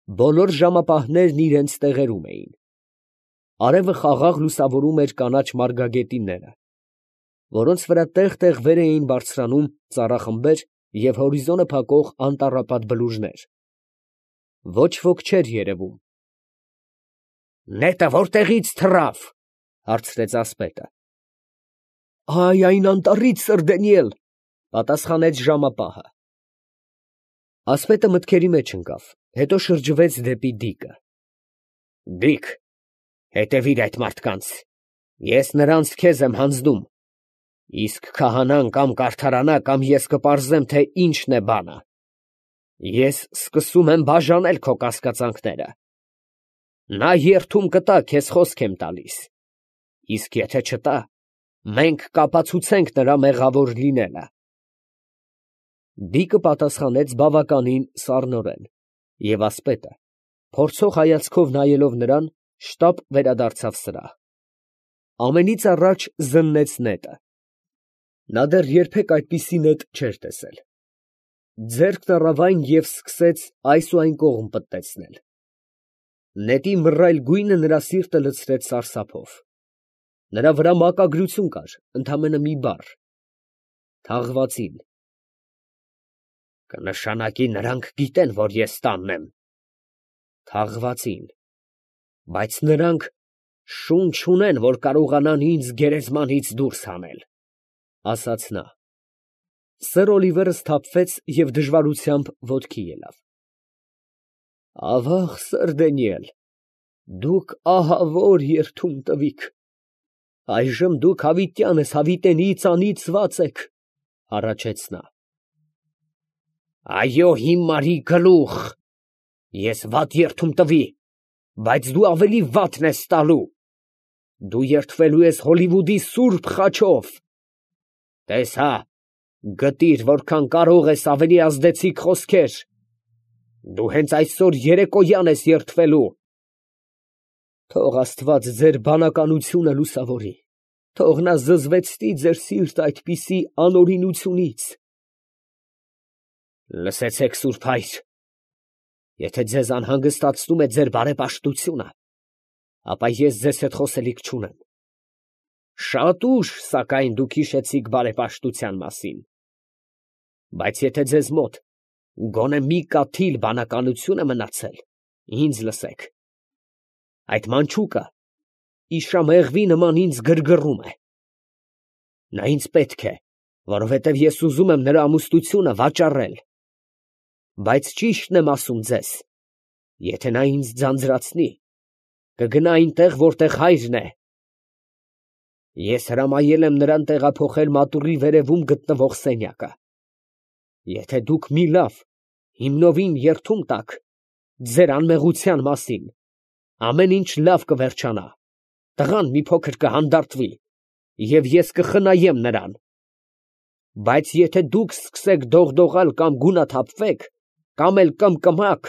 Բոլոր ժամապահներն իրենց տեղերում էին։ Արևը խաղաղ լուսավորում էր կանաչ մարգագետինները, որոնց վրա տեղ֊տեղ վեր էին բարձրանում ծառախմբեր և հորիզոնը փակող անտառապատ բլուրներ։ Ոչ ոք չէր երևում։ ֊ Նետը ո՞րտեղից թռավ, ֊ հարցրեց ասպետը։ ֊ Այ, այն անտառից, սըր Դանիել, ֊ պատասխանեց ժամապահը։ Ասպետը մտքերի մեջ ընկավ, հետո շրջվեց դեպի դիկը։ ֊ Դիկ, հետևիր այդ մարդկանց, ես նրանց քեզ եմ հանձնում, իսկ քահանան կամ կարդարանա, կամ ես կպարզեմ, թե ինչն է բանը. ես սկսում եմ բաժանել քո կասկածանքները. նա երդում կտա, քեզ խոսք եմ տալիս, իսկ եթե չտա, մենք կապացուցենք նրա մեղավոր լինելը։ Դիկը պատասխանեց բավականին սառնորեն, և ասպետը, փորձող հայացքով նայելով նրան, շտապ վերադարձավ սրահ։ Ամենից առաջ զննեց նետը. նա դեռ երբեք այդպիսի նետ չէր տեսել։ Ձեռքն առավ այն և սկսեց այս ու այն կողմ պտտեցնել։ Նետի մռայլ գույնը նրա սիրտը լցրեց սարսափով։ Նրա վրա մակագրություն կար, ընդամենը մի բառ. թաղվածին։ Կնշանակի նրանք գիտեն, որ ես տանն եմ։ Թաղվածին։ Բայց նրանք շուն չունեն, որ կարողանան ինձ գերեզմանից դուրս հանել, ֊ ասաց նա։ Սըր Օլիվերը սթափվեց և դժվարությամբ ոտքի ելավ։ ֊ Ավաղ, սըր Դանիել, դուք ահավոր երդում տվիք, այժմ դուք հավիտյան ես, հավիտենից անիծված եք, ֊ հառաչեց նա։ Այո, հիմարի գլուխ, ես վատ երդում տվի, բայց դու ավելի վատն ես տալու, դու երդվելու ես Հոլիվուդի սուրբ խաչով, տես հա, գտիր, որքան կարող ես ավելի ազդեցիկ խոսքեր, դու հենց այսօր երեկոյան ես երդվելու։ Թող Աստված ձեր բանականությունը լուսավորի, թող նա զզվեցնի ձեր սիրտը այդպիսի անօրինությունից։ Լսեցեք, սուրբ հայր, եթե ձեզ անհանգստացնում է ձեր բարեպաշտությունը, ապա ես ձեզ հետ խոսելիք չունեմ։ Շատ ուշ, սակայն, դուք հիշեցիք բարեպաշտության մասին, բայց եթե ձեզ մոտ գոնե մի կաթիլ բանականություն է մնացել, ինձ լսեք. այդ մանչուկը իշամեղվի նման ինձ գրգռում է։ Նա ինձ պետք է, որովհետև ես ուզում եմ նրա ամուսնությունը վաճառել, բայց ճիշտն եմ ասում ձեզ, եթե նա ինձ ձանձրացնի, կգնա այնտեղ, որտեղ հայրն է։ Ես հրամայել եմ նրան տեղափոխել մատուռի վերևում գտնվող սենյակը։ Եթե դուք մի լավ, հիմնովին երդում տաք ձեր անմեղության մասին, ամեն ինչ լավ կվերջանա, տղան մի փոքր կհանդարտվի, և ես կխնայեմ նրան։ Բայց եթե դուք սկսեք դողդողալ կամ գունաթափվեք, կամ էլ կմկմաք,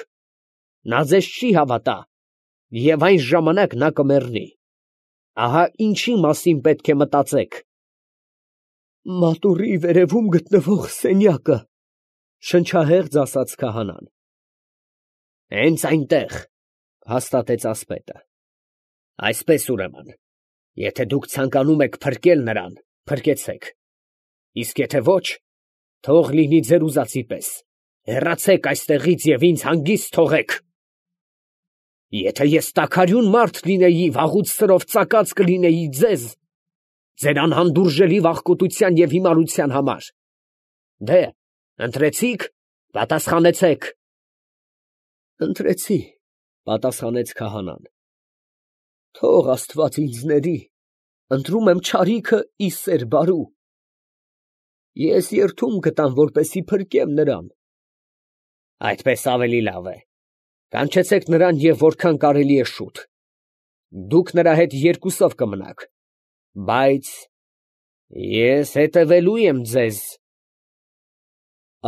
նա ձեզ չի հավատա, և այն ժամանակ նա կմեռնի։ Ահա ինչի մասին պետք է մտածեք։ Մատուռի վերևում գտնվող սենյակը, ֊ շնչահեղձ ասաց քահանան։ Հենց այնտեղ, ֊ հաստատեց ասպետը։ Այսպես ուրեմն, եթե դուք ցանկանում եք փրկել նրան, փրկեցեք, իսկ եթե ոչ, թող լինի ձեր ուզածի պես, հեռացեք այստեղից և ինձ հանգիստ թողեք։ Եթե ես տաքարյուն մարդ լինեի, վաղուց սրով ծակած կլինեի ձեզ, ձեր անհանդուրժելի վախկոտության և հիմարության համար։ Դե, ընտրեցի՞ք, պատասխանեցեք։ Ընտրեցի, ֊ պատասխանեց քահանան։ Թող Աստված ինձ ների, ընտրում եմ չարիքը ի սեր բարու։ Ես երդում կտամ, որպեսզի փրկեմ նրան։ Այդպես ավելի լավ է, կանչեցեք նրան և որքան կարելի է շուտ։ Դուք նրա հետ երկուսով կմնաք, բայց ես հետևելու եմ ձեզ։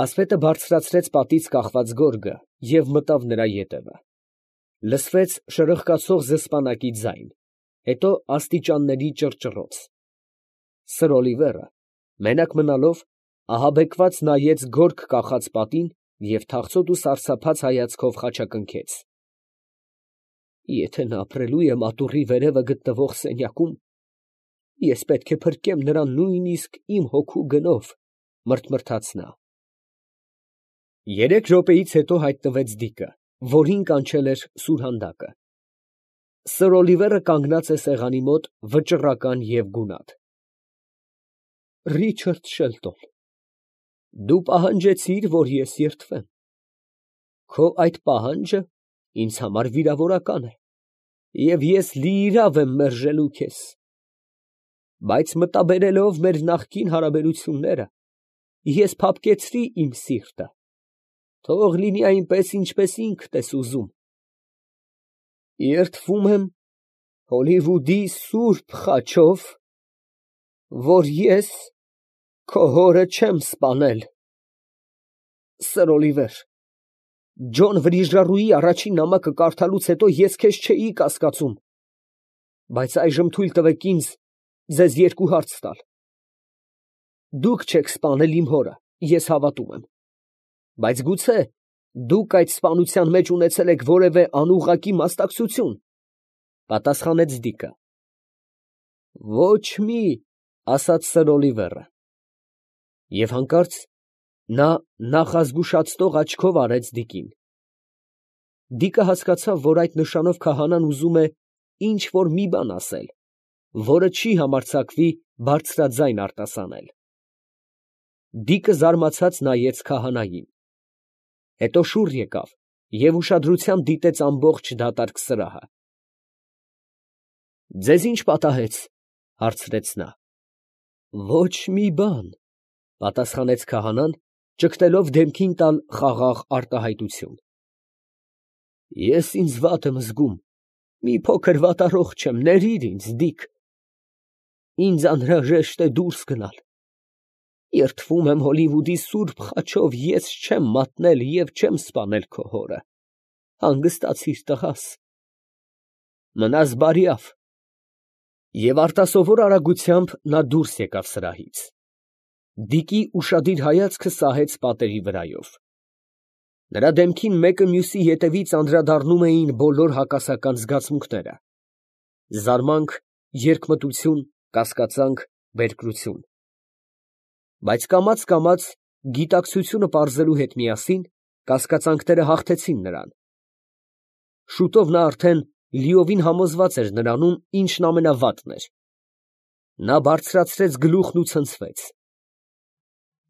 Ասպետը բարձրացրեց պատից կախված գորգը և մտավ նրա ետևը։ Լսվեց շրխկացող զսպանակի ձայն, հետո աստիճանների ճռճռոց։ Սըր Օլիվերը, մենակ մնալով, ահաբեկված նայեց գորգ կախած պատին և թախծոտ ու սարսափած հայացքով խաչակնքեց։ Եթե նա ապրելու է մատուռի վերևը գտնվող սենյակում, ես պետք է փրկեմ նրան նույնիսկ իմ հոգու գնով, մրթմրթաց նա։ 3 րոպեից հետո հայտնվեց Դիկը, որին կանչել էր սուրհանդակը։ Սր Օլիվերը կանգնած է սեղանի մոտ, վճռական և գունատ։ Ռիչարդ Շելտոն, դու պահանջեցիր, որ ես երդվեմ։ Քո այդ պահանջը ինձ համար վիրավորական է, և ես լիիրավ եմ մերժելու քեզ։ Բայց մտաբերելով մեր նախկին հարաբերությունները, ես փափկեցրի իմ սիրտը, թող լինի այնպես, ինչպես ինքդ ես ուզում։ Երդվում եմ Հոլիվուդի սուրբ խաչով, որ ես քո հորը չեմ սպանել։ Սր Օլիվեր, Ջոն Վրիժառուի առաջին նամակը կարդալուց հետո ես քեզ չէի կասկածում, բայց այժմ թույլ տվեք ինձ ձեզ 2 հարց տալ։ Դուք չեք սպանել իմ հորը, ես հավատում եմ, բայց գուցե դուք այդ սպանության մեջ ունեցել եք որևէ անուղղակի մասնակցություն, պատասխանեց Դիկը։ Ոչ մի, ասաց Սր Օլիվերը։ Եվ հանկարծ նա նախազգուշացնող աչքով արեց Դիկին։ Դիկը հասկացավ, որ այդ նշանով քահանան ուզում է ինչ որ մի բան ասել, որը չի համարձակվի բարձրաձայն արտասանել։ Դիկը զարմացած նայեց քահանային, հետո շուռ եկավ և ուշադրությամբ դիտեց ամբողջ դատարկ սրահը։ Ձեզ ի՞նչ պատահեց, հարցրեց նա։ Ոչ մի բան, պատասխանեց քահանան, ճգտելով դեմքին տալ խաղաղ արտահայտություն։ Ես ինձ վատ եմ զգում, մի փոքր վատառողջ եմ, ներիր ինձ, Դիկ։ Ինձ անհրաժեշտ է դուրս գնալ։ Երդվում եմ Հոլիվուդի սուրբ խաչով, ես չեմ մատնել և չեմ սպանել քո հորը։ Հանգստացիր, տղաս։ Մնաս բարյավ։ Եվ արտասովոր արագությամբ նա դուրս եկավ սրահից։ Դիկի ուշադիր հայացքը սահեց պատերի վրայով։ Նրա դեմքին մեկը մյուսի ետևից անդրադառնում էին բոլոր հակասական զգացմունքները՝ զարմանք, երկմտություն, կասկածանք, բերկրություն։ Բայց կամաց գիտակցությունը պարզելու հետ միասին կասկածանքները հաղթեցին նրան։ Շուտով նա արդեն լիովին համոզված էր նրանում, ինչն ամենավատն էր։ Նա բարձրացրեց գլուխն ու ցնցվեց։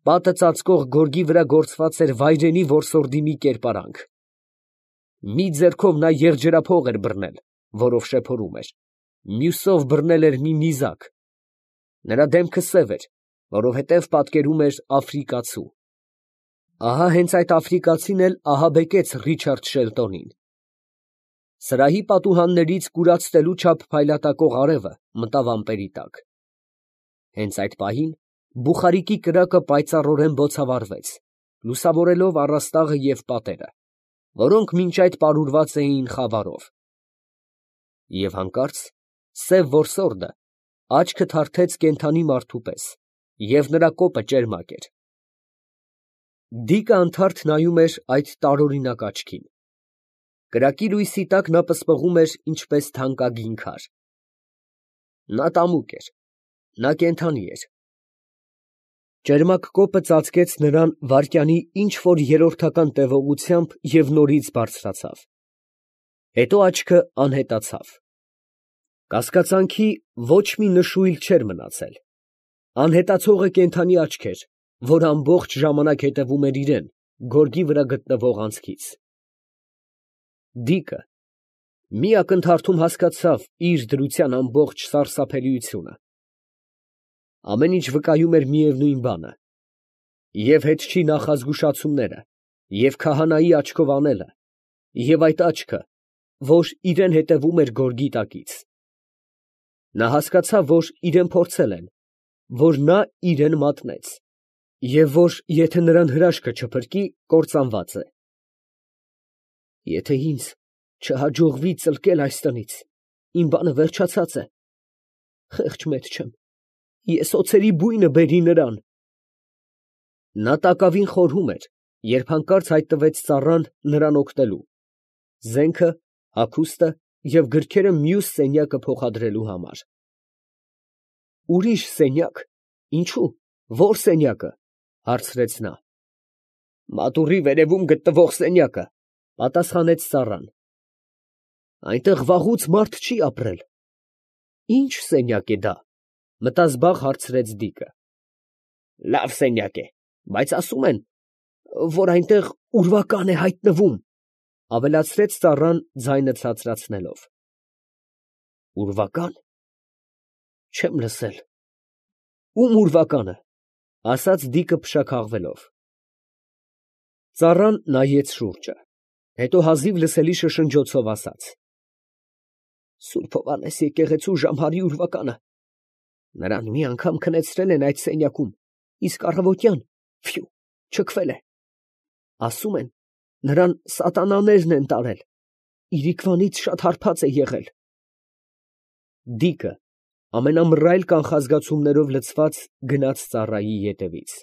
Պատը ծածկող գորգի վրա գործված էր վայրենի որսորդի մի կերպարանք։ Մի ձեռքով նա եղջերափող էր բռնել, որով շեփորում էր, մյուսով բռնել էր մի նիզակ։ Նրա դեմքը սև էր, որովհետև պատկերում էր աֆրիկացու։ Ահա հենց այդ աֆրիկացին էլ ահաբեկեց Ռիչարդ Շելտոնին։ Սրահի պատուհաններից կուրացնելու չափ փայլատակող արևը մտավ ամպերի տակ։ Հենց այդ պահին բուխարիկի կրակը պայծառորեն բոցավառվեց, լուսավորելով առաստաղը և պատերը, որոնք մինչ այդ պարուրված էին խավարով։ Եվ հանկարծ սև որսորդը աչքը թարթեց կենդանի մարդու պես, և նրա կոպը ճերմակ էր։ Դիկը անթարթ նայում էր այդ տարօրինակ աչքին։ Կրակի լույսի տակ նա պսպղում էր ինչպես թանկագին քար։ Նա տամուկ էր, նա կենդանի էր։ Ճերմակ կոպը ծածկեց նրան վայրկյանի ինչ որ երրորդական տևողությամբ և նորից բարձրացավ։ Հետո աչքը անհետացավ։ Կասկածանքի ոչ մի նշույլ չէր մնացել։ Անհետացողը կենդանի աչք էր, որ ամբողջ ժամանակ հետևում էր իրան, գորգի վրա գտնվող անցքից։ Դիկը մի ակնթարթում հասկացավ իր դրության ամբողջ սարսափելիությունը։ Ամեն ինչ վկայում էր միևնույն բանը, և հետչի նախազգուշացումները, և քահանայի աչքով անելը, և այդ աչքը, որ իրան հետևում էր գորգի տակից։ Նա հասկացավ, որ իրան փորձել են, որ նա իրան մատնեց, և որ եթե նրան հրաշքը չփրկի, կործանված է։ Եթե ինձ չհաջողվի ծլկել այս տնից, իմ բանը վերջացած է։ Խեղճ մեծ չեմ, ես օձերի բույնը բերի նրան։ Նա տակավին խորհում էր, երբ հանկարծ հայտնվեց ծառան նրան օգնելու, զենքը, հագուստը և գրքերը մյուս սենյակը փոխադրելու համար։ Ուրիշ սենյակ, ինչո՞ւ, ո՞ր սենյակը, հարցրեց նա։ Մատուռի վերևում գտնվող սենյակը, պատասխանեց ծառան։ Այնտեղ վաղուց մարդ չի ապրել։ Ի՞նչ սենյակ է դա, մտազբաղ հարցրեց Դիկը։ Լավ սենյակ է, բայց ասում են, որ այնտեղ ուրվական է հայտնվում, ավելացրեց ծառան ձայնը ցածրացնելով։ Ուրվական, չեմ լսել։ Ում ուրվականը, ասաց Դիկը փշաքաղվելով։ Ծառան նայեց շուրջը, հետո հազիվ լսելի շշնջոցով ասաց. Սուրբ Հովհաննես եկեղեցու Ժամհարի ուրվականը, նրան մի անգամ քնեցրել են այդ սենյակում, իսկ առավոտյան, ֆյու, չքվել է։ Ասում են, նրան սատանաներն են տարել, իրիկվանից շատ հարբած է եղել։ Դիկը ամենամռայլ կանխազգացումներով լցված գնաց ծառայի ետևից։